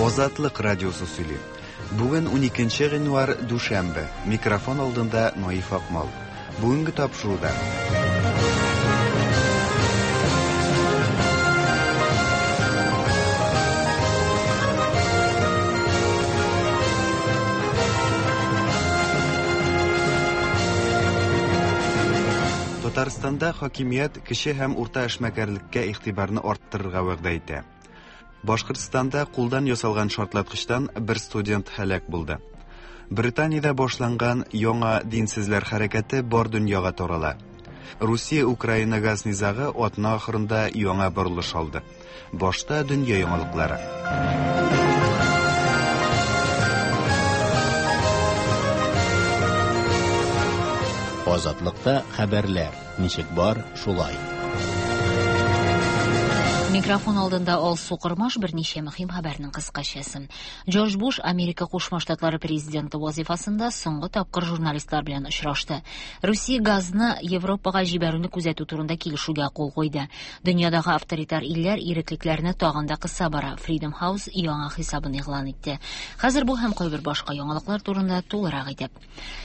Азатлык радиосы сөйли. Бүген 12 гыйнвар, дүшәмбе. Микрофон алдында Наиф Акмал. Бүгенге тапшыруда. Татарстанда хакимият кече һәм урта эшмәкәрлеккә игътибарны арттырырга вәгъдә итә. Башкортстанда кулдан ясалган шартлаткычтан бер студент һәлак булды. Британиядә башланган яңа динсезләр хәрәкәте бар дөньяга тарала. Русия-Украина газ низагы атна ахырында яңа борылыш алды. Башта дөнья яңалыклары. Азатлыкта хәбәрләр ничек бар, шулай. Микрофон алдында Алсу Кормаш берничә мөһим хәбәрнең кыскачасын. Джордж Буш Америка Кушма Штатлары президенты вазифасында соңгы тапкыр журналистлар белән очрашты. Русия газны Европага җибәрүне күзәтү турында килешүгә кул куйды. Дөньядагы авторитар илләр иреклекләрне тагын да кыса бара. Freedom House яңа хисабын игълан итте. Хәзер бу һәм кайбер башка яңалыклар турында тулырак итеп.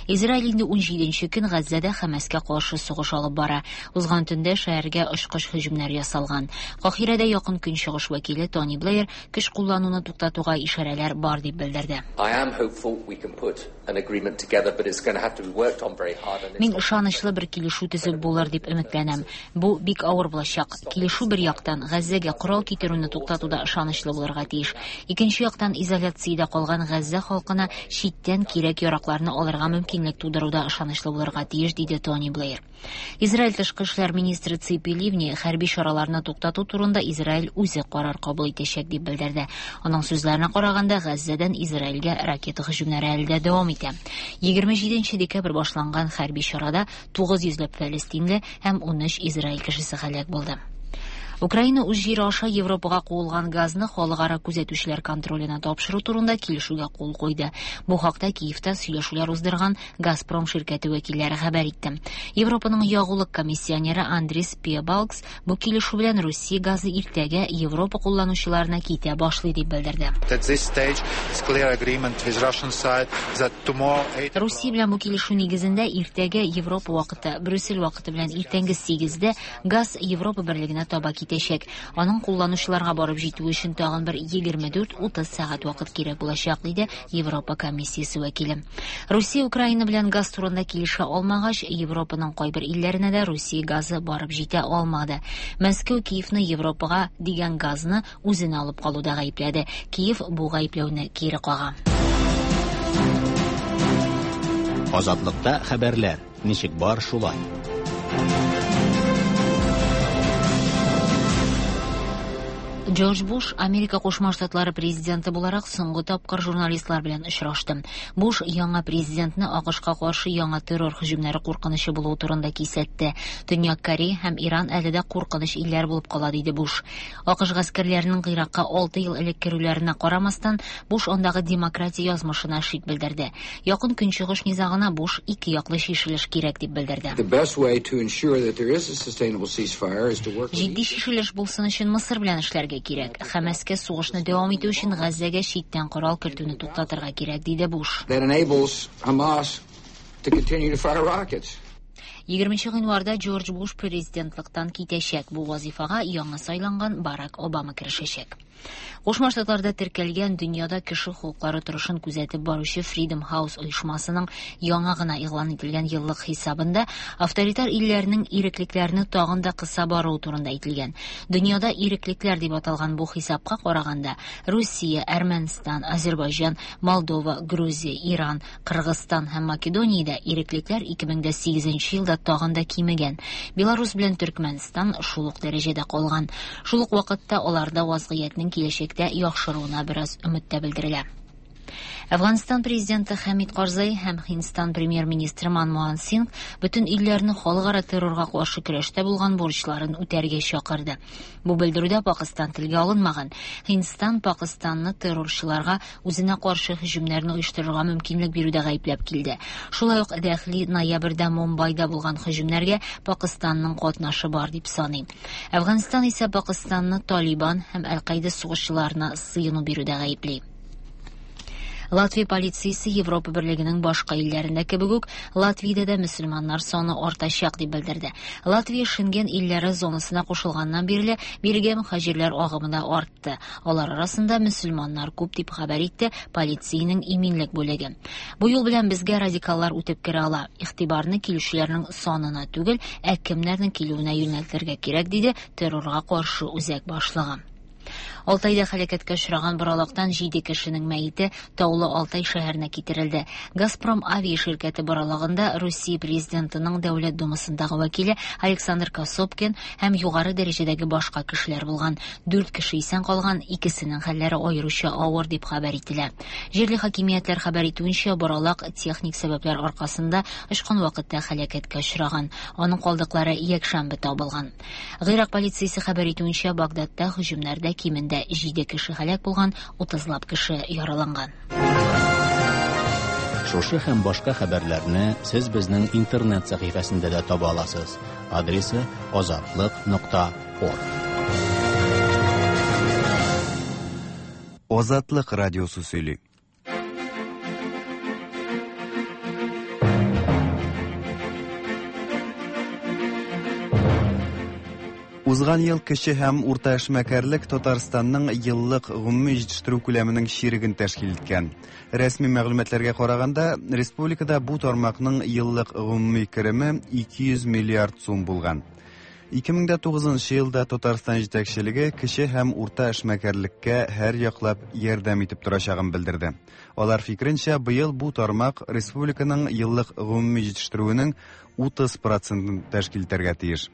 Израиль инде 17 көн Газзәдә Хәмәскә каршы сугыш алып бара. Узган төндә шәһәргә очкыч һөҗүмнәр ясалган. Каһирәдә Якын Көнчыгыш вәкиле Тони Блэйр көч куллануны туктатуга ишарәләр бар дип белдерде. Мин ышанычлы бер килешү төзеп булыр дип өметләнәм. Бу бик авыр булачак. Килешү бер яктан Газзәгә корал китерүне туктатуда ышанычлы булырга тиеш. Икенче яктан изоляциядә калган Газзә халкына читтән кирәк-яракларны алырга мөмкинлек тудыруда ышанычлы булырга тиеш, диде Тони Блэйр. Израиль тышкы эшләр министры Ципи Ливни хәрби чараларны туктату турында Израиль үзе карар кабул итәчәк дип белдерде. Аның сүзләренә караганда, Газзәдән Израильгә ракета һөҗүмнәре әле дә дәвам итә. 27 декабрь башланган хәрби чарада 900 ләп фәлестинле һәм 13 Израиль кешесе һәлак булды. Украина үз җире аша Европага куылган газны халыкара күзәтүчеләр контроленә тапшыру турында килешүгә кул куйды. Бу хакта Киевта сөйләшүләр уздырган Газпром ширкәте вәкилләре хәбәр итте. Европаның ягулык комиссионеры Андрис Пиебалгс бу килешү белән Русия газы иртәгә Европа кулланучыларына китә башлый дип белдерде. Русия белән бу килешү нигезендә иртәгә Европа вакыты, Брюссель вакыты белән иртәнге 8-дә газ Европа берлегенә таба китәчәк. Аның кулланучыларга барып җитүе өчен тагын бер 24-30 сәгать вакыт кирәк булачак, диде Европа комиссиясе вәкиле. Русия Украина белән газ турында килешә алмагач, Европаның кайбер илләренә дә Русия газы барып җитә алмады. Мәскәү Киевны Европага дигән газны үзенә алып калуда гаепләде. Киев бу гаепләүне кире кага. Азатлыкта хәбәрләр ничек бар, шулай. Джордж Буш Америка Кушма Штатлары президенты буларак соңгы тапкыр журналистлар белән очрашты. Буш яңа президентны АКШка каршы яңа террор һөҗүмнәре куркынычы булуы турында кисәтте. Төньяк Корея һәм Иран әле дә куркыныч илләр булып кала, диде Буш. АКШ гаскәрләренең Гыйракка 6 ел элек керүләренә карамастан, Буш андагы демократия язмышына шик белдерде. Якын Көнчыгыш низагына Буш ике яклы чишелеш кирәк дип белдерде. Җитди чишелеш булсын өчен Мысыр белән эшләргә кирәк. Хәмәскә сугышны дәвам итү өчен Газзәгә читтән корал кертүне туктатырга кирәк, диде Буш. 20 гыйнварда Джордж Буш президентлыктан китәчәк. Бу вазифага яңа сайланган Барак Обама керешәчәк. Кушма Штатларда теркәлгән дөньяда кеше хокуклары торышын күзәтеп баручы Freedom House оешмасының яңа гына игълан ителгән еллык хисабында авторитар илләрнең иреклекләрне тагын да кыса баруы турында әйтелгән. Дөньяда иреклекләр дип аталган бу хисапка караганда, Русия, Әрмәнстан, Азербайҗан, Молдова, Грузия, Иран, Кыргызстан һәм Македониядә иреклекләр 2008 елда тагын да кимегән. Беларусь белән Төркмәнстан шул ук дәрәҗәдә калган. Шул ук вакытта аларда вазгыятьнең киләчәктә яхшыруына бераз өмет тә белдерелә. Әфганстан президенты Хәмид Карзай һәм Һиндстан премьер-министры Манмохан Сингх бөтен илләрне халыкара террорга каршы көрәштә булган бурычларын үтәргә чакырды. Бу белдерүдә Пакыстан телгә алынмаган. Һиндстан Пакыстанны террорчыларга үзенә каршы һөҗүмнәрне оештырырга мөмкинлек бирүдә гаепләп килде. Шулай ук Дәһли ноябрьдә Мумбайда булган һөҗүмнәргә Пакыстанның катнашы бар дип саный. Әфганстан исә Пакыстанны Талибан һәм Әл-Каида сугышчыларына сыену бирүдә гаепли. Латвия полициясе Европа берлегенең башка илләрендә кебек үк Латвиядә дә мөселманнар саны артачак дип белдерде. Латвия Шенген илләре зонасына кушылганнан бирле бирегә мөхаҗирләр агымы да артты. Алар арасында мөселманнар күп дип хәбәр итте полициянең иминлек бүлеге. Бу юл белән безгә радикаллар үтеп керә ала. Игътибарны килүчеләрнең санына түгел, ә кемнәрнең килүенә юнәлтергә кирәк, диде террорга каршы үзәк башлыгы. Алтайда һәлакәткә очраган боралактан 7 кешенең мәете Таулы Алтай шәһәренә китерелде. Газпром авиа ширкәте боралагында Русия президентының Дәүләт Думасындагы вәкиле Александр Косопкин һәм югары дәрәҗәдәге башка кешеләр булган. 4 кеше исән калган, икесенең хәлләре аеруча авыр дип хәбәр ителә. Җирле хакимиятләр хәбәр итүенчә, боралак техник сәбәпләр аркасында очкан вакытта һәлакәткә очраган. Аның калдыклары якшәмбе табылган. Гыйрак полициясе хәбәр итүенчә, Багдадта һөҗүмнәрдә кимендә 7 кеше һәлак булган, 30лап кеше яраланган. Шушы һәм башка хәбәрләрне сез безнең интернет сәхифәсендә дә таба аласыз. Адресы azatliq.org. Азатлык радиосы сөйли. Узган ел кече һәм урта эшмәкәрлек Татарстанның еллык гомуми җитештерү күләменең чиреген тәшкил иткән. Рәсми мәгълүматларга караганда, республикада бу тармакның еллык гомуми кереме 200 миллиард сум булган. 2009 елда Татарстан җитәкчелеге кече һәм урта эшмәкәрлеккә һәр яклап ярдәм итеп торачагын белдерде. Алар фикеренчә, быел бу тармак республиканың еллык гомуми җитештерүенең 30%-ын тәшкил итәргә тиеш.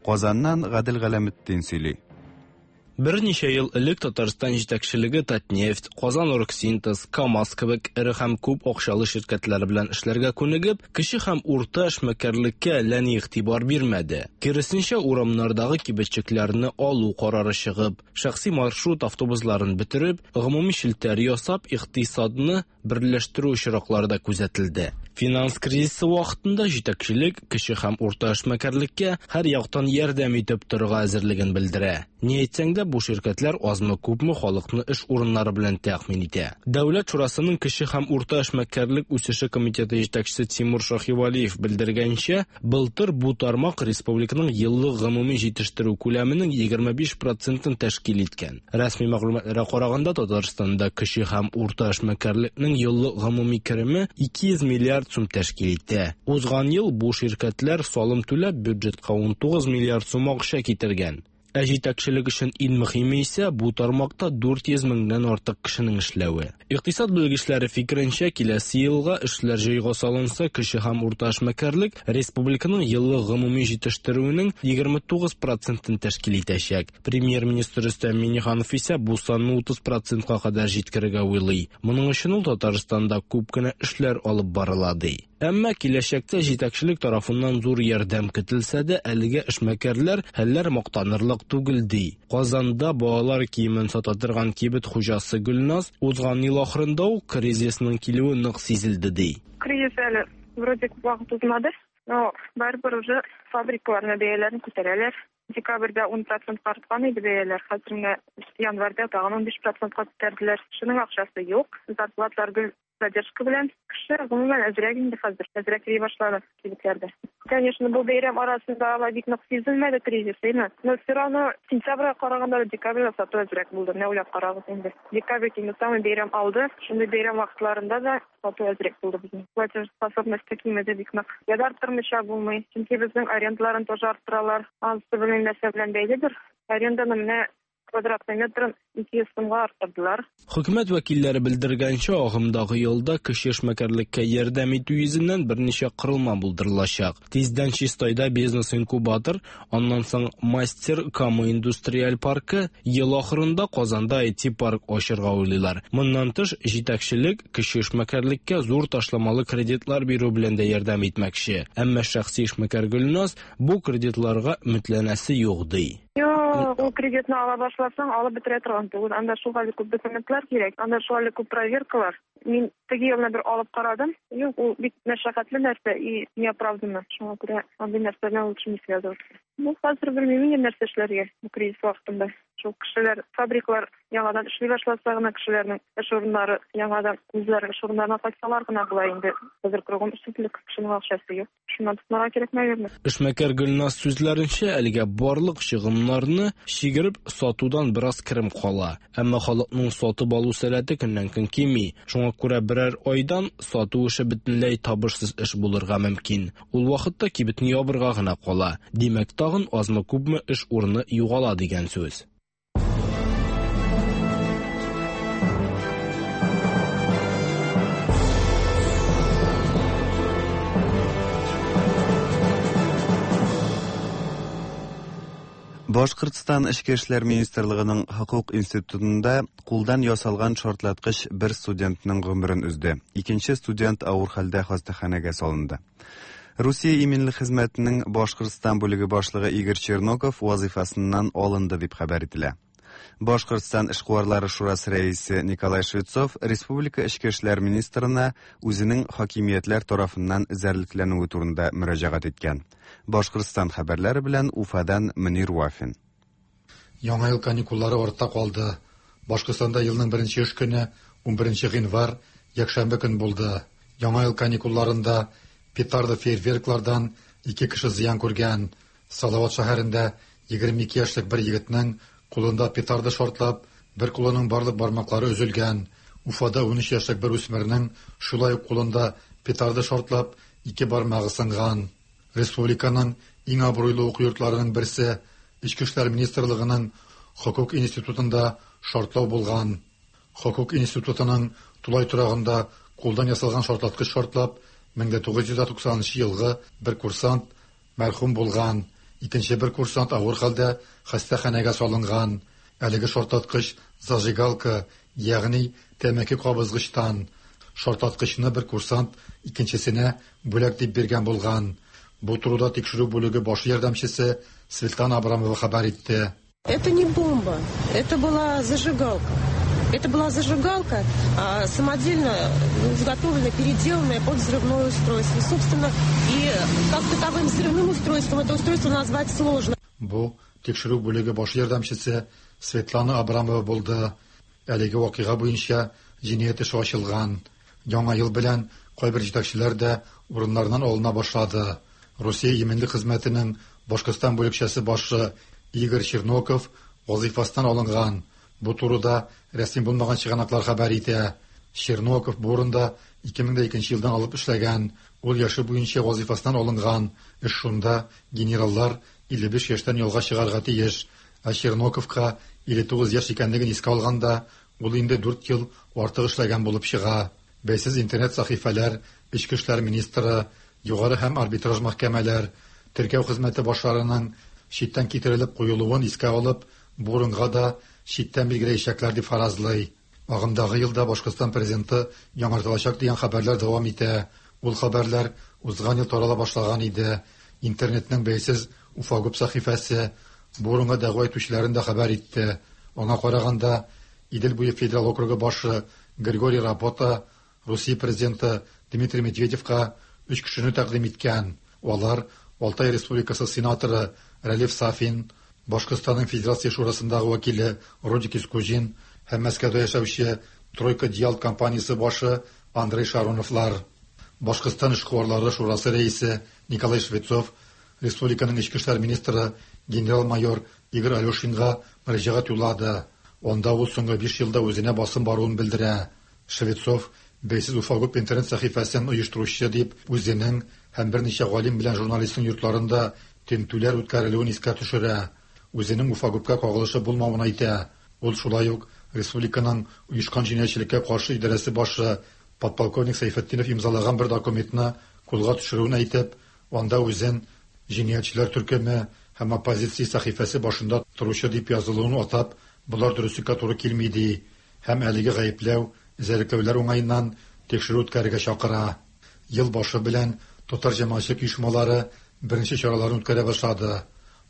Казаннан Гадел Галәметдин сөйли. Берничә ел элек Татарстан җитәкчелеге Татнефть, Казан Оргсинтез, КАМАЗ кебек эре һәм күп акчалы ширкәтләр белән эшләргә күнегеп, кече һәм урта эшмәкәрлеккә әллә ни игътибар бирмәде. Киресенчә, урамнардагы кибетчекләрне алу карары чыгып, шәхси маршрут автобусларын бетереп, гомуми челтәр ясап, икътисадны берләштерү очраклары да күзәтелде. Финанс кризисы вакытында җитәкчелек кече һәм урта эшмәкәрлеккә һәр яктан ярдәм итеп торырга әзерлеген белдерә. Ни әйтсәң дә, бу ширкәтләр азмы-күпме халыкны эш урыннары белән тәэмин итә. Дәүләт шурасының кече һәм урта эшмәкәрлек үсеше комитеты җитәкчесе Тимур Шаһивалиев белдергәнчә, былтыр бу тармак республиканың еллык гомуми җитештерү күләменең 25%-ын тәшкил иткән. Рәсми мәгълүматларга караганда, Татарстанда кече һәм урта эшмәкәрлекнең еллык гомуми кереме 200 миллиард сум тәшкил итә. Узган ел бу ширкәтләр салым түләп бюджетка 19 миллиард сум акча китергән. Ә җитәкчелек өчен иң мөһиме исә бу тармакта 400 меңнән артык кешенең эшләве. Икътисад белгечләре фикеренчә, киләсе елга эшләр җайга салынса, кече һәм урта эшмәкәрлек республиканың еллык гомуми җитештерүенең 29%-ын тәшкил итәчәк. Премьер-министр Рөстәм Миңнеханов исә бу санны 30%-ка кадәр җиткерергә уйлый. Моның өчен ул Татарстанда күп кенә эшләр алып барыла ди. Әмма киләчәктә җитәкчелек тарафыннан зур ярдәм көтелсә дә, әлегә эшмәкәрләр хәлләр мактанырлык түгел ди. Казанда балалар киемен сата торган кибет хуҗасы Гөлназ узган ел ахырында ук кризисның килүе нык сизелде ди. Кризис әле вроде вакыт узмады, но барыбер уже фабрикаларның бәяләрен күтәрәләр. Декабрьдә 10% арткан иде бәяләр, хәзер менә январьда тагын 15%-ка күтәрделәр. Шуның акчасы юк, зарплаталар гел задержка белән. Кеше гомумән әзрәк инде хәзер, әзрәк йөри башлады кибетләрдә. Конечно, бу бәйрәм арасында алай бик нык сизелмәде кризис, әйме? Но все равно сентябрьгә караганда декабрьдә сату әзрәк булды. Менә уйлап карагыз инде. Декабрь инде самый бәйрәм алды. Шундый бәйрәм вакытларында да сату әзрәк булды безнең. Платежеспособность кимеде бик нык. Я да арттырмыйча булмый. Чөнки безнең арендаларын тоже арттыралар. Анысы белмим нәрсә белән бәйледер. Аренданы менә Квадратный метрын 200 сумга арттырдылар. Хөкүмәт вәкилләре белдергәнчә, агымдагы елда кече эшмәкәрлеккә ярдәм итү йөзеннән берничә корылма булдырылачак. Тиздән Чистайда бизнес-инкубатор, аннан соң Мастер Кама индустриаль паркы, ел ахырында Казанда IT-парк ачырга уйлыйлар. Моннан тыш, җитәкчелек кече эшмәкәрлеккә зур ташламалы кредитлар бирү белән дә ярдәм итмәкче. Әмма шәхси эшмәкәр Гөлназ бу кредитларга өметләнәсе юк ди. Юк, ул кредитны ала башласаң, алып бетерә торган түгел. Анда шулхәтле күп документлар кирәк, анда шулхәтле күп проверкалар. Мин теге елны бер алып карадым. Юк, ул бик мәшәкатьле нәрсә и неоправданно. Шуңа күрә андый нәрсә белән лучше не связываться. Ну, хәзер белмим инде нәрсә эшләргә бу кризис вакытында. Шул кешеләр, фабрикалар яңадан эшли башласа гына кешеләрнең эш урыннары яңадан үзләренең эш урыннарына кайтсалар гына була инде. Хәзер кругом эшсезлек, кешенең акчасы юк. Шуннан тотынырга кирәк, наверное. Эшмәкәр Гөлназ сүзләренчә, әлегә барлык чыгымнарны чигереп сатудан бераз керем кала. Әмма халыкның сатып алу сәләте көннән-көн кими. Шуңа күрә берәр айдан сату эше бөтенләй табышсыз эш булырга мөмкин. Ул вакытта кибетне ябырга гына кала. Димәк, тагын азмы-күпме эш урыны югала дигән сүз. Башкортстан Эчке эшләр министрлыгының хокук институтында кулдан ясалган шартлаткыч бер студентның гомерен өзде. Икенче студент авыр хәлдә хастаханәгә салынды. Русия иминлек хезмәтенең Башкортстан бүлеге башлыгы Игорь Черноков вазифасыннан алынды дип хәбәр ителә. Башкортстан эшкуарлары шурасы рәисе Николай Швецов республика эчке эшләр министрына үзенең хакимиятләр тарафыннан эзәрлекләнүе турында мөрәҗәгать иткән. Башкортстан хәбәрләре белән Уфадан Мөнир Вафин. Яңа ел каникуллары артта калды. Башкортстанда елның беренче эш көне 11 гыйнвар, якшәмбе көн булды. Яңа ел каникулларында петарда фейерверклардан ике кеше зыян күргән. Салават шәһәрендә 22 яшьлек бер егетнең кулында петарда шартлап, бер кулының барлык бармаклары өзелгән. Уфада 13 яшьлек бер үсмернең шулай ук кулында петарда шартлап, ике бармагы сынган. Республиканың иң абруйлы уку йортларының берсе Эчке эшләр министрлыгының хокук институтында шартлау булган. Хокук институтының тулай торагында кулдан ясалган шартлаткыч шартлап, 1990 елгы бер курсант мәрхүм булган. Икенче бер курсант авыр хәлдә хастаханәгә салынган. Әлеге шартлаткыч зажигалка, ягъни тәмәке кабызгычтан. Шартлаткычны бер курсант икенчесенә бүләк дип биргән булган. Бу турыда тикшерү бүлеге баш ярдәмчесе Светлана Абрамова хәбәр итте. Это не бомба, это была зажигалка. Это была зажигалка, самодельно изготовленная, переделанная под взрывное устройство. Собственно, и как таковым взрывным устройством это устройство назвать сложно. Бу тикшерү бүлеге баш ярдәмчесе Светлана Абрамова булды. Әлеге вакыйга буенча җинаять эше ачылган. Яңа ел белән кайбер җитәкчеләр дә урыннарыннан алына башлады. Русия иминлек хезмәтенең Башкортстан бүлекчәсе башы Игорь Черноков вазифасыннан алынган. Бу турыда рәсми булмаган чыганаклар хәбәр итә. Черноков бу урында 2002 елдан алып эшләгән. Ул яше буенча вазифасыннан алынган. Эш шунда генераллар 55 яшьтән ялга чыгарга тиеш. Ә Черноковка 59 яшь икәнлеген искә алганда, ул инде 4 ел артык эшләгән булып чыга. Бәйсез интернет сәхифәләр, эчке эшләр министры, югары һәм арбитраж мәхкәмәләр, теркәү хезмәте башларының читтән китерелеп куелуын искә алып, бу урынга да читтән билгеләячәкләр дип фаразлый. Агымдагы елда Башкортстан президенты яңартылачак дигән хәбәрләр дәвам итә. Ул хәбәрләр узган ел тарала башлаган иде. Интернетның бәйсез Уфагуб сәхифәсе бу урынга дәгъва итүчеләрен дә хәбәр итте. Аңа караганда, Идел буе федераль округы башы Григорий Рапота Русия президенты Дмитрий Медведевка өч кешене тәкъдим иткән. Алар Алтай Республикасы сенаторы Рәлиф Сафин, Башкортстанның Федерация Шурасындагы вәкиле Родик Искуҗин һәм Мәскәүдә яшәүче Тройка Диал компаниясе башы Андрей Шароновлар. Башкортстан эшкуарлары шурасы рәисе Николай Швецов республиканың эчке эшләр министры генерал-майор Игорь Алешинга мөрәҗәгать юллады. Анда ул соңгы 5 елда үзенә басым баруын белдерә. Швецов бәйсез Уфагуб интернет сәхифәсен оештыручы дип үзенең һәм берничә галим белән журналистның йортларында тентүләр үткәрелүен искә төшерә. үзенең Уфагупка кагылышы булмавын әйтә. Ул шулай ук республиканың оешкан җинаятьчелеккә каршы идарәсе башы подполковник Сәйфетдинов имзалаган бер документны кулга төшерүен әйтеп, анда үзен җинаятьчеләр төркеме һәм оппозиция сәхифәсе башында торучы дип язылуын атап, болар дөреслеккә туры килми ди һәм әлеге гаепләү, эзәрлекләүләр уңаеннан тикшерү үткәрергә чакыра. Ел башы белән татар җәмәгатьчелек оешмалары беренче чараларын үткәрә башлады.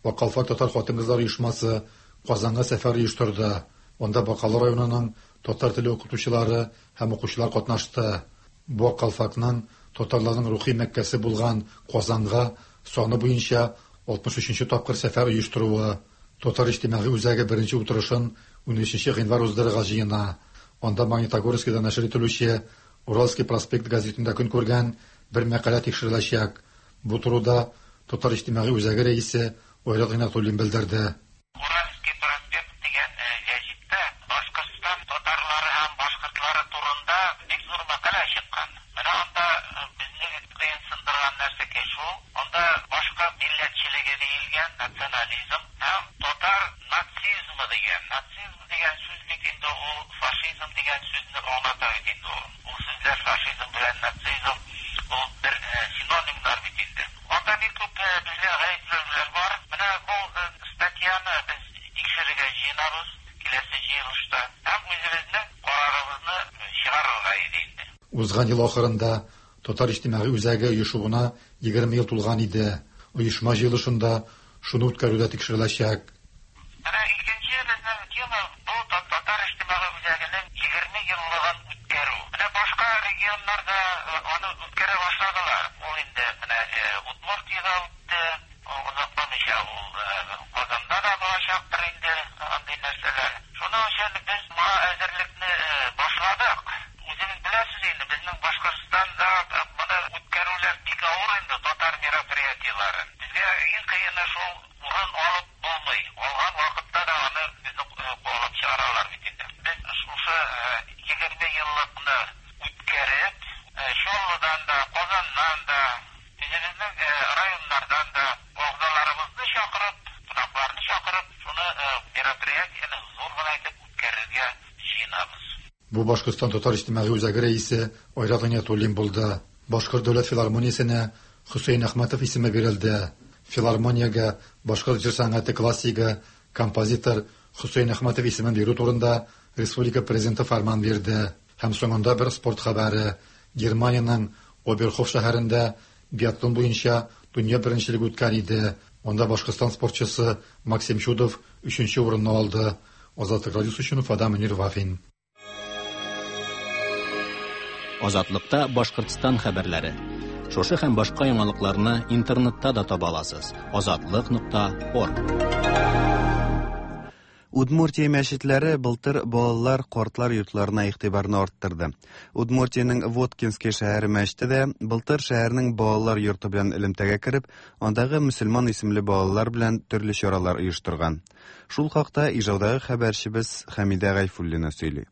Бакалфак татар хатын-кызлар оешмасы Казанга сәфәр оештырды. Анда Бакалы районының татар теле укытучылары һәм укучылар катнашты. Бу Аккалфакның татарларның рухи Мәккәсе булган Казанга саны буенча 63 нче тапкыр сәфәр оештыруы. Татар иҗтимагый үзәге беренче утырышын 13 гыйнвар уздырырга җыена. Анда Магнитогорскида нәшер ителүче Уральский проспект газетында көн күргән бер мәкалә тикшереләчәк. Бу турыда Татар иҗтимагый үзәге рәисе Айрат Гыйнатуллин белдерде. Уральский проспект дигән гәҗиттә Башкортстан татарлары һәм башкортлары турында бик зур мәкалә чыккан. Менә анда безне кыенсындырган нәрсәкәй шул, анда башкорт милләтчелеге диелгән, национализм һәм татар нацизмы дигән. Нацизм дигән сүз бит инде ул фашизм дигән сүзне аңлата бит инде ул. Ул сүзләр фашизм белән нацизм ул бер синонимнар бит инде. Анда бик күп безгә гаепләүләр бар. Менә бу статьяны без тикшерергә җыенабыз киләсе җыелышта һәм үзебезнең карарыбызны чыгарырга иде инде. Узган ел ахырында Татар иҗтимагый үзәге оешуына 20 ел тулган иде. Оешма җыелышында шуны үткәрү дә тикшереләчәк. Менә икенче безнең тема бу Татар иҗтимагый үзәгенең 20 еллыгын үткәрү. Менә башка регионнарда аны үткәрә башладылар. Ул инде менә Удмуртиядә үтте, озакламыйча ул Казанда да булачактыр инде андый нәрсәләр. Шуның өчен без моңа әзерлекне башладык. Үзегез беләсез инде, безнең Башкортстанда моны үткәрүләр бик авыр инде, татар мероприятиеләрен. Безгә иң кыены шул урын алып булмый. Алган вакытта да аны безне куалап чыгаралар бит инде. Без шушы 20 еллыкны үткәреп, Чаллыдан да, Казаннан да, үзебезнең районнардан да әгъзаларыбызны чакырып, кунакларны чакырып, шуны мероприятиене зур гына итеп үткәрергә җыенабыз. Бу Башкортстан татар иҗтимагый үзәге рәисе Айрат Гыйниятуллин булды. Башкорт дәүләт филармониясенә Хөсәен Әхмәтов исеме бирелде. Филармониягә башкорт җыр сәнгате классигы, композитор Хөсәен Әхмәтов исемен бирү турында республика президенты фәрман бирде. Һәм соңында бер спорт хәбәре. Германиянең Оберхоф шәһәрендә биатлон буенча дөнья беренчелеге үткән иде. Анда Башкортстан спортчысы Максим Чудов өченче урынны алды. Азатлык радиосы өчен Уфадан Мөнир Вафин. Азатлыкта Башкортстан хәбәрләре. Шушы һәм башка яңалыкларны интернетта да таба аласыз. Азатлык.орг. Удмуртия мәчетләре былтыр балалар, картлар йортларына игътибарны арттырды. Удмуртиянең Воткинский шәһәре мәчете дә былтыр шәһәрнең балалар йорты белән элемтәгә кереп, андагы мөселман исемле балалар белән төрле чаралар оештырган. Шул хакта Ижаудагы хәбәрчебез Хәмидә Гайфуллина сөйли.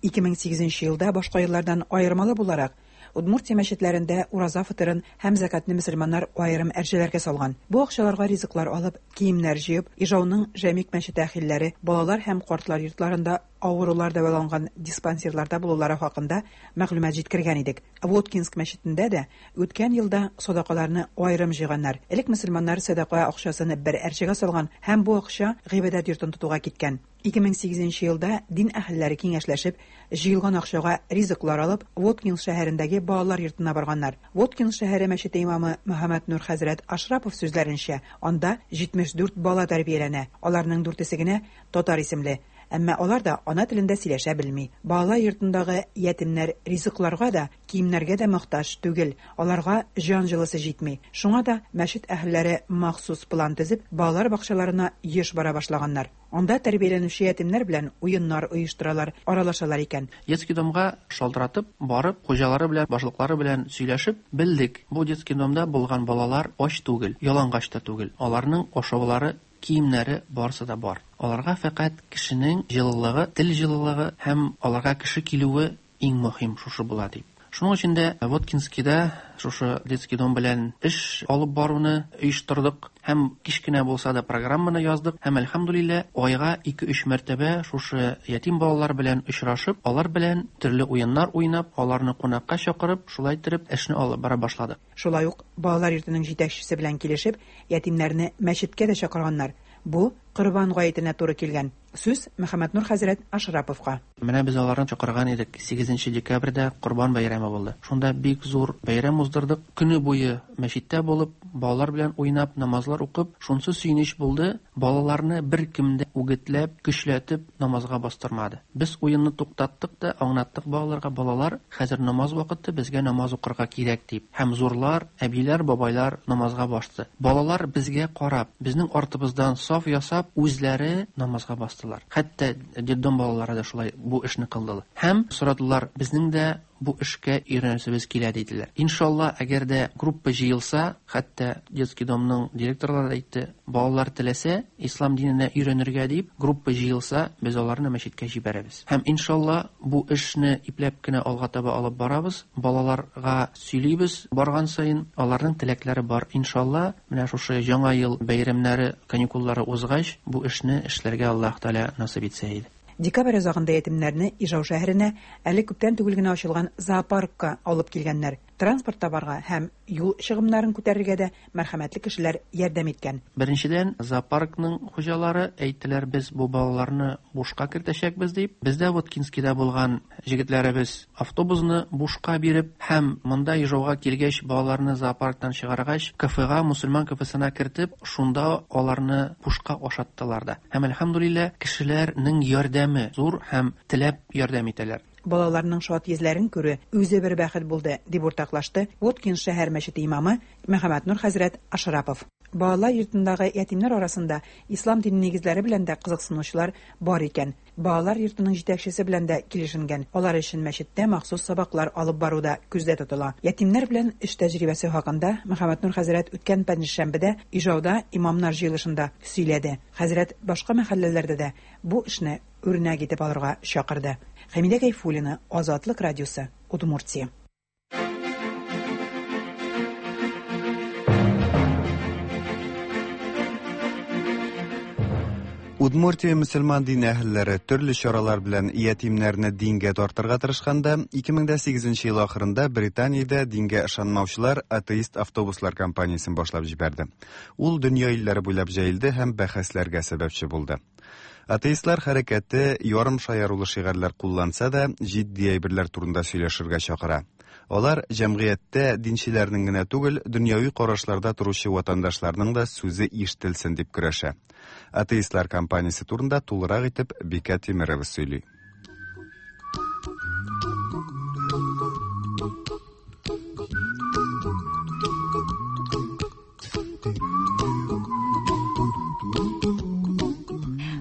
2008 елда башка еллардан аермалы буларак, Удмуртия мәчетләрендә ураза фытырын һәм зәкатны мөселманнар аерым әрҗәләргә салган. Бу акчаларга ризыклар алып, киемнәр җыеп, Ижауның Жәмик мәчете әһелләре балалар һәм картлар йортларында авырулар дәваланган диспансерларда булулары хакында мәгълүмат җиткергән идек. Воткинск мәчетендә дә үткән елда садакаларны аерым җыйганнар. Элек мөселманнар сәдака акчасын бер әрҗәгә салган һәм бу акча гыйбадәт йортын тотуга киткән. 2008 елда дин әһелләре киңәшләшеп, җыелган акчага ризыклар алып, Воткинск шәһәрендәге балалар йортына барганнар. Воткинск шәһәре мәчете имамы Мөхәммәд Нур хәзрәт Ашрапов сүзләренчә, анда 74 бала тәрбияләнә. Аларның дүртесе генә татар исемле. Әмма алар да ана телендә сөйләшә белми. Балалар йортындагы ятимнәр ризыкларга да, киемнәргә дә мохтаҗ түгел. Аларга җан җылысы җитми. Шуңа да мәчет әһелләре махсус план төзеп, балалар бакчаларына еш бара башлаганнар. Анда тәрбияләнүче ятимнәр белән уеннар оештыралар, аралашалар икән. Детский домга шалтыратып, барып, хуҗалары белән, башлыклары белән сөйләшеп белдек. Бу детский домда булган балалар ач түгел, ялангач та түгел. Аларның ашаулары, киемнәре барысы да бар. Аларга фәкать кешенең җылылыгы, тел җылылыгы һәм аларга кеше килүе иң мөһим шушы була дип. Шуның өчен дә Воткинскийда шушы детский дом белән эш алып баруны оештырдык һәм кечкенә булса да программаны яздык һәм, әлхәмдүлилләһ, айга 2-3 мәртәбә шушы ятим балалар белән очрашып, алар белән төрле уеннар уйнап, аларны кунакка чакырып, шулай иттереп эшне алып бара башладык. Шулай ук балалар йортының җитәкчесе белән килешеп, ятимнәрне мәчеткә дә чакырганнар. Бу Корбан гаетенә туры килгән. Сүз Мөхәммәтнур хәзрәт Ашраповка. Менә без аларны чакырган идек. 8 декабрьдә Корбан бәйрәме булды. Шунда бик зур бәйрәм уздырдык. Көне буе мәчеттә булып, балалар белән уйнап, намазлар укып, шунсы сөенеч булды, балаларны беркем дә үгетләп, көчләтеп намазга бастырмады. Без уенны туктаттык та, аңлаттык балаларга, балалар, хәзер намаз вакыты, безгә намаз укырга кирәк дип. Һәм зурлар, әбиләр, бабайлар намазга басты. Балалар безгә карап, безнең артыбыздан саф ясап, үзләре намазга бастылар. Хәтта детдом балалары да шулай бу эшне кылдылар. Һәм сорадылар, безнең дә бу эшкә өйрәнәсебез килә диделәр. Иншалла, әгәр дә группа җыелса, хәтта детский домның директорлары да әйтте, балалар теләсә, ислам диненә өйрәнергә дип, группа җыелса, без аларны мәчеткә җибәрәбез. Һәм иншалла, бу эшне ипләп кенә алга таба алып барабыз, балаларга сөйлибез барган саен, аларның теләкләре бар. Иншалла, менә шушы яңа ел бәйрәмнәре, каникуллары узгач, бу эшне эшләргә Аллаһ Тәгалә насыйп итсә иде. Декабрь азагында ятимнәрне Ижау шәһәренә әле күптән түгел генә ачылган зоопаркка алып килгәннәр. Транспорт табарга һәм юл чыгымнарын күтәрергә дә мәрхәмәтле кешеләр ярдәм иткән. Беренчедән, зоопаркның хуҗалары әйттеләр, без бу балаларны бушка кертәчәкбез дип. Бездә Воткинскийда булган җегетләребез автобусны бушка биреп һәм монда Ижауга килгәч, балаларны зоопарктан чыгаргач, кафега, мусульман кафесына кертеп, шунда аларны бушка ашаттылар да. Һәм әлхәмдүлилләһ, кешеләрнең ярдәме зур һәм теләп ярдәм итәләр. Балаларның шат йөзләрен күрү үзе бер бәхет булды, дип уртаклашты Воткин шәһәр мәчете имамы Мөхәммәтнур хәзрәт Ашрапов. Балалар йортындагы ятимнәр арасында ислам дине нигезләре белән дә кызыксынучылар бар икән. Балалар йортының җитәкчесе белән дә килешенгән. Алар өчен мәчеттә махсус сабаклар алып бару да күздә тотыла. Ятимнәр белән эш тәҗрибәсе хакында Мөхәммәтнур хәзрәт үткән пәнҗешәмбедә Ижауда имамнар җыелышында сөйләде. Хәзрәт башка мәхәлләләрдә дә бу эшне үрнәк итеп алырга чакырды. Хәмидә Гайфуллина, Азатлык радиосы, Удмуртия. Удмуртия мөселман дин әһелләре төрле чаралар белән ятимнәрне дингә тартырга тырышканда, 2008 ел ахырында Британиядә дингә ышанмаучылар атеист автобуслар кампаниясен башлап җибәрде. Ул дөнья илләре буйлап җәелде һәм бәхәсләргә сәбәпче булды. Атеистлар хәрәкәте ярым шаярулы шигарьләр кулланса да, җитди әйберләр турында сөйләшергә чакыра. Алар җәмгыятьтә динчеләрнең генә түгел, дөньяви карашларда торучы ватандашларның да сүзе ишетелсен дип көрәшә. Атеистлар кампаниясе турында тулырак итеп Бикә Тимирова сөйли.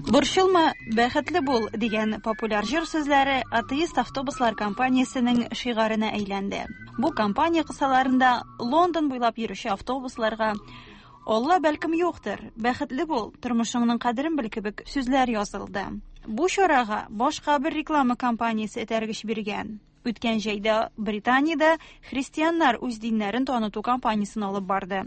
Борчылма, бәхетле бул дигән популяр җыр сүзләре атеист автобуслар компаниясенең шигаренә әйләнде. Бу компания кысаларында Лондон буйлап йөрүче автобусларга Алла бәлкем юктыр, бәхетле бул, тормышыңның кадерен бел кебек сүзләр язылды. Бу чарага башка бер реклама компаниясе этәргеч биргән. Үткән җәйдә Британиядә христианнар үз диннәрен таныту кампаниясен алып барды.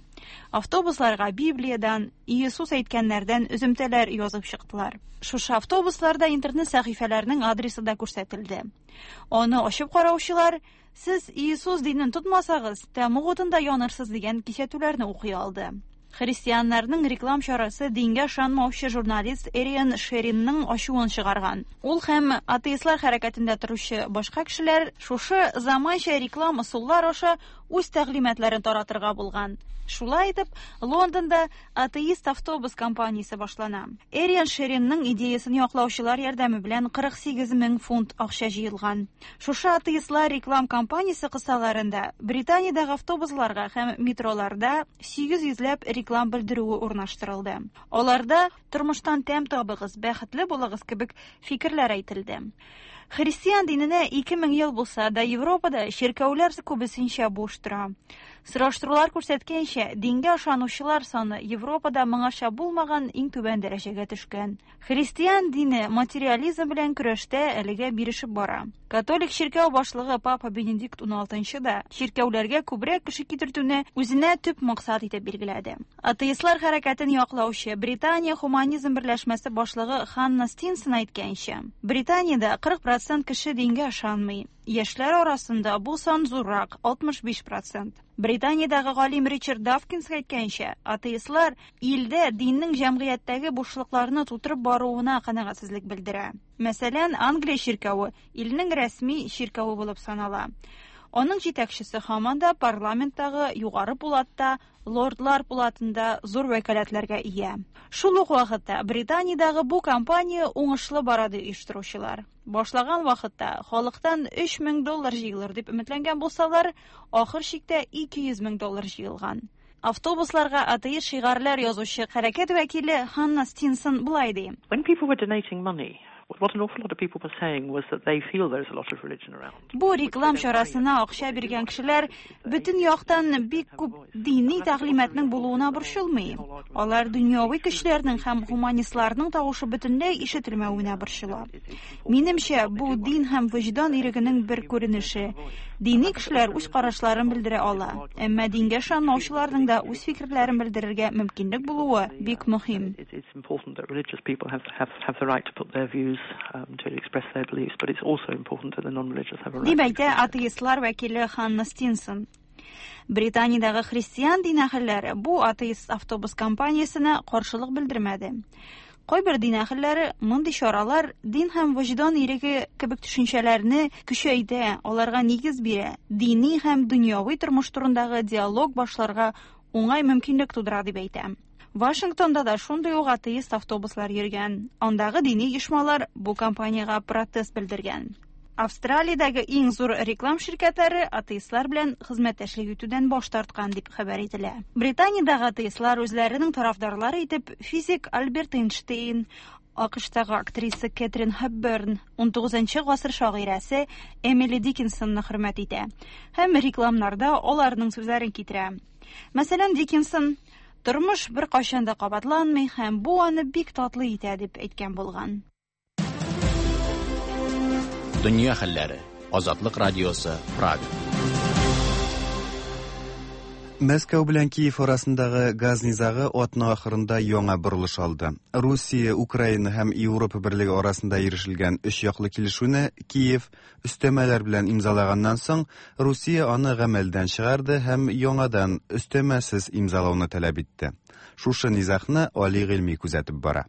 Автобусларга Библиядән, Иисус әйткәннәрдән өземтәләр язып чыктылар. Шушы автобусларда интернет сәхифәләренең адресы да күрсәтелде. Аны ачып караучылар, сез Иисус динен тотмасагыз, тәмуг утында янырсыз дигән кисәтүләрне укый алды. Христианнарның реклам чарасы дингә ышанмаучы журналист Эриан Шеринның ачуын чыгарган. Ул һәм атеистлар хәрәкәтендә торучы башка кешеләр шушы заманча реклам ысуллар аша үз тәгълиматларын таратырга булган. Шулай итеп, Лондонда атеист автобус компаниясе башлана. Эриан Шеринның идеясын яклаучылар ярдәме белән 48 мең фунт акча җыелган. Шушы атеистлар реклам компаниясе кысаларында Британиядәге автобусларга һәм метроларда 800 ләп реклам белдерүе урнаштырылды. Аларда тормыштан тәм табыгыз, бәхетле булыгыз кебек фикерләр әйтелде. Христиан диненә 2000 ел булса да, Европада чиркәүләр күбесенчә буш тора. Сораштырулар күрсәткәнчә, дингә ышанучылар саны Европада моңарча булмаган иң түбән дәрәҗәгә төшкән. Христиан дине материализм белән көрәштә әлегә бирешеп бара. Католик чиркәү башлыгы Папа Бенедикт XVI да чиркәүләргә күбрәк кеше китертүне үзенә төп максат итеп билгеләде. Атеистлар хәрәкәтен яклаучы Британия хуманизм берләшмәсе башлыгы Ханна Стинсон әйткәнчә, Британиядә 40 процент кеше дингә ышанмый. Яшьләр арасында бу сан зуррак, 65 процент. Британиядәге галим Ричард Давкинс әйткәнчә, атеистлар илдә диннең җәмгыятьтәге бушлыкларны тутырып баруына канәгатьсезлек белдерә. Мәсәлән, Англия чиркәве илнең рәсми чиркәве булып санала. Аның җитәкчесе һаман да парламенттагы югары пулатта, лордлар пулатында зур вәкаләтләргә ия. Шул ук вакытта Британиядәге бу кампания уңышлы бара ди оештыручылар. Башлаган вакытта халыктан 3000 доллар җыелыр дип өметләнгән булсалар, ахыр чиктә 200 мең доллар җыелган. Автобусларга атеист шигарләр язучы хәрәкәт вәкиле Ханна Стинсон болай ди. When people were donating money, what an awful lot of people were saying was that they feel there's a lot of religion around. Бу реклам чарасына акча биргән кешеләр бөтен яктан бик күп дини тәгълиматның булуына борчылмый. Алар дөньяви көчләрнең һәм гуманистларның тавышы бөтенләй ишетелмәвенә борчыла. Минемчә, бу дин һәм вөҗдан ирегенең бер күренеше. Дини кешеләр үз карашларын белдерә ала, әмма дингә ышанмаучыларның да үз фикерләрен белдерергә мөмкинлек булуы бик мөһим. It's important that religious people have, have, have the right to put their views, to express their beliefs, but it's also important that the non-religious have a right. Дип әйтә атеистлар вәкиле Ханна Стинсон. Британиядәге христиан дин әһелләре бу атеист автобус компаниясенә каршылык белдермәде. Кайбер дин әһелләре мондый чаралар дин һәм вөҗдан иреге кебек төшенчәләрне көчәйтә, аларга нигез бирә, дини һәм дөньяви тормыш турындагы диалог башларга уңай мөмкинлек тудыра дип әйтә. Вашингтонда да шундый ук атеист автобуслар йөргән. Андагы дини оешмалар бу кампаниягә протест белдергән. Австралиядәге иң зур реклам ширкәтләре атеистлар белән хезмәттәшлек итүдән баш тарткан дип хәбәр ителә. Британиядәге атеистлар үзләренең тарафдарлары итеп физик Альберт Эйнштейн, АКШтагы актриса Кэтрин Хепберн, 19 гасыр шагыйрәсе Эмили Диккенсонны хөрмәт итә һәм рекламнарда аларның сүзләрен китерә. Мәсәлән, Диккенсон Тормыш беркайчан да кабатланмый һәм бу аны бик татлы итә дип әйткән булган. Дөнья хәлләре. Азатлык радиосы, Прага. Мәскәү белән Киев арасындагы газ низагы атна ахырында яңа борылыш алды. Русия, Украина һәм Европа берлеге арасында ирешелгән өч яклы килешүне Киев өстәмәләр белән имзалаганнан соң, Русия аны гамәлдән чыгарды һәм яңадан өстәмәсез имзалауны таләп итте. Шушы низагны Али Гыйльми күзәтеп бара.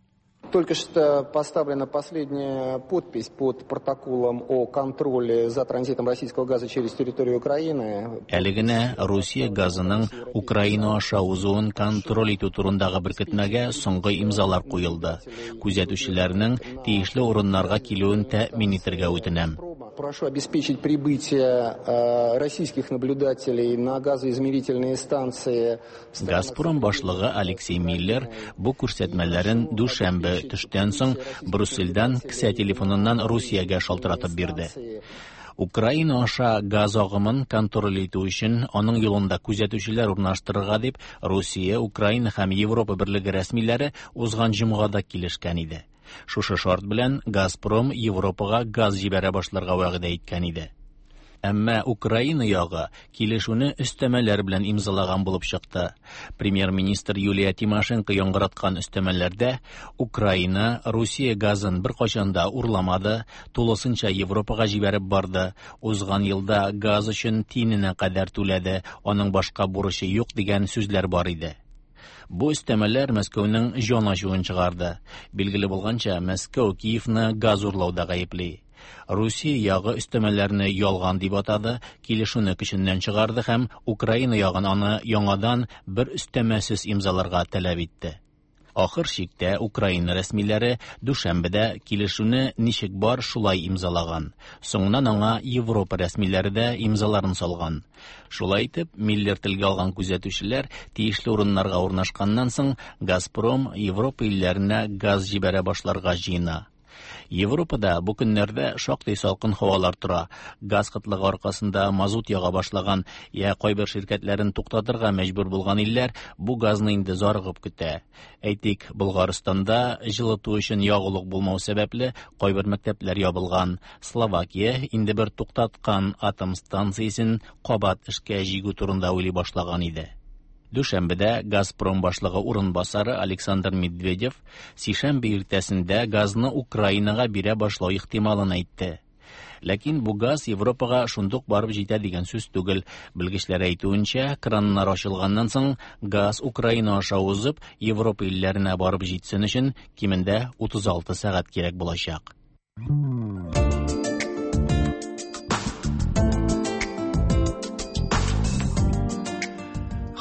Только что поставлена последняя подпись под протоколом о контроле за транзитом российского газа через территорию Украины. Әле генә Русия газының Украина аша узуын контроль итү турындагы беркетмәгә соңгы имзалар куелды. Күзәтүчеләрнең тиешле урыннарга килүен тәэмин итәргә үтенәм. Прошу обеспечить прибытие российских наблюдателей на газоизмерительные станции. Газпром башлыгы Алексей Миллер бу күрсәтмәләрен дүшәмбе төштән соң Брюссельдән кесә телефоныннан Русиягә шалтыратып бирде. Украина аша газ агымын контроль итү өчен аның юлында күзәтүчеләр урнаштырырга дип Русия, Украина һәм Европа берлеге рәсмиләре узган җомгада килешкән иде. Шушы шарт белән Газпром Европага газ җибәрә башларга вәгъдә иткән иде. Әмма Украина ягы килешүне өстәмәләр белән имзалаган булып чыкты. Премьер-министр Юлия Тимошенко яңгыраткан өстәмәләрдә Украина Русия газын беркайчан да урламады, тулысынча Европага җибәреп барды, узган елда газ өчен тиененә кадәр түләде, аның башка бурычы юк дигән сүзләр бар иде. Бу өстәмәләр Мәскәүнең җан ачуын чыгарды. Билгеле булганча, Мәскәү Киевны газ урлауда гаепли. Русия ягы өстәмәләрне ялган дип атады, килешүне көченнән чыгарды һәм Украина ягын аны яңадан бер өстәмәсез имзаларга таләп итте. Ахыр чиктә Украина рәсмиләре дүшәмбедә килешүне ничек бар шулай имзалаган. Соңыннан аңа Европа рәсмиләре дә имзаларын салган. Шулай итеп, Миллер телгә алган күзәтүчеләр тиешле урыннарга урнашканнан соң Газпром Европа илләренә газ җибәрә башларга җыена. Европада бу көннәрдә шактый салкын һавалар тора. Газ кытлыгы аркасында мазут яга башлаган я кайбер ширкәтләрен туктатырга мәҗбүр булган илләр бу газны инде зарыгып көтә. Әйтик, Болгарстанда җылыту өчен ягулык булмау сәбәпле кайбер мәктәпләр ябылган. Словакия инде бер туктаткан атом станциясен кабат эшкә җигү турында уйлый башлаган иде. Дүшәмбедә Газпром башлыгы урынбасары Александр Медведев сишәмбе иртәсендә газны Украинага бирә башлау ихтималын әйтте. Ләкин бу газ Европага шундук барып җитә дигән сүз түгел. Белгечләр әйтүенчә, краннар ачылганнан соң газ Украина аша узып, Европа илләренә барып җитсен өчен кимендә 36 сәгать кирәк булачак.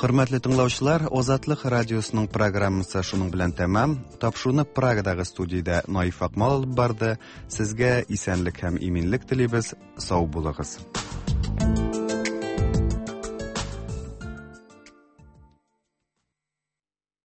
Хөрмәтле тыңлаучылар, Азатлык радиосының программасы шуның белән тәмам. Тапшыруны Прагадагы студиядә Наиф Акмал алып барды. Сезгә исәнлек һәм иминлек телибез. Сау булыгыз.